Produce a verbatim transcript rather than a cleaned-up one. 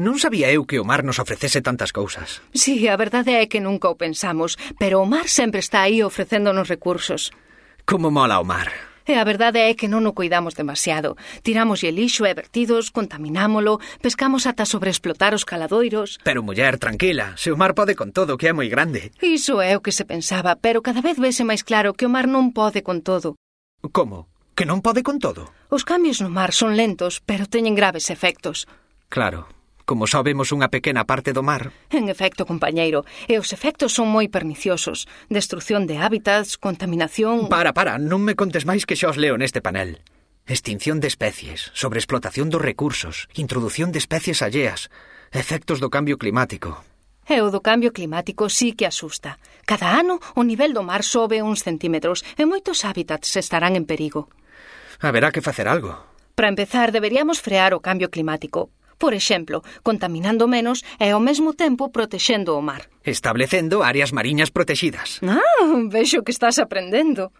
Non sabía eu que o mar nos ofrecese tantas cousas. Sí, a verdade é que nunca o pensamos, pero o mar sempre está aí ofrecéndonos recursos. Como mola o mar. E a verdade é que non o cuidamos demasiado. Tiramos e lixo e vertidos, contaminámolo, pescamos ata sobreexplotar os caladoiros. Pero, muller, tranquila, se o mar pode con todo, que é moi grande. Iso é o que se pensaba, pero cada vez vese máis claro que o mar non pode con todo. Como? Que non pode con todo? Os cambios no mar son lentos, pero teñen graves efectos. Claro, como só vemos unha pequena parte do mar. En efecto, compañeiro, e os efectos son moi perniciosos. Destrucción de hábitats, contaminación... Para, para, non me contes máis que xa os leo neste panel. Extinción de especies, sobreexplotación dos recursos, introdución de especies alleas, efectos do cambio climático. E o do cambio climático sí que asusta. Cada ano o nivel do mar sobe uns centímetros e moitos hábitats estarán en perigo. Haberá que facer algo. Para empezar, deberíamos frear o cambio climático. Por exemplo, contaminando menos e ao mesmo tempo protexendo o mar. Establecendo áreas mariñas protegidas. Ah, vexo que estás aprendendo.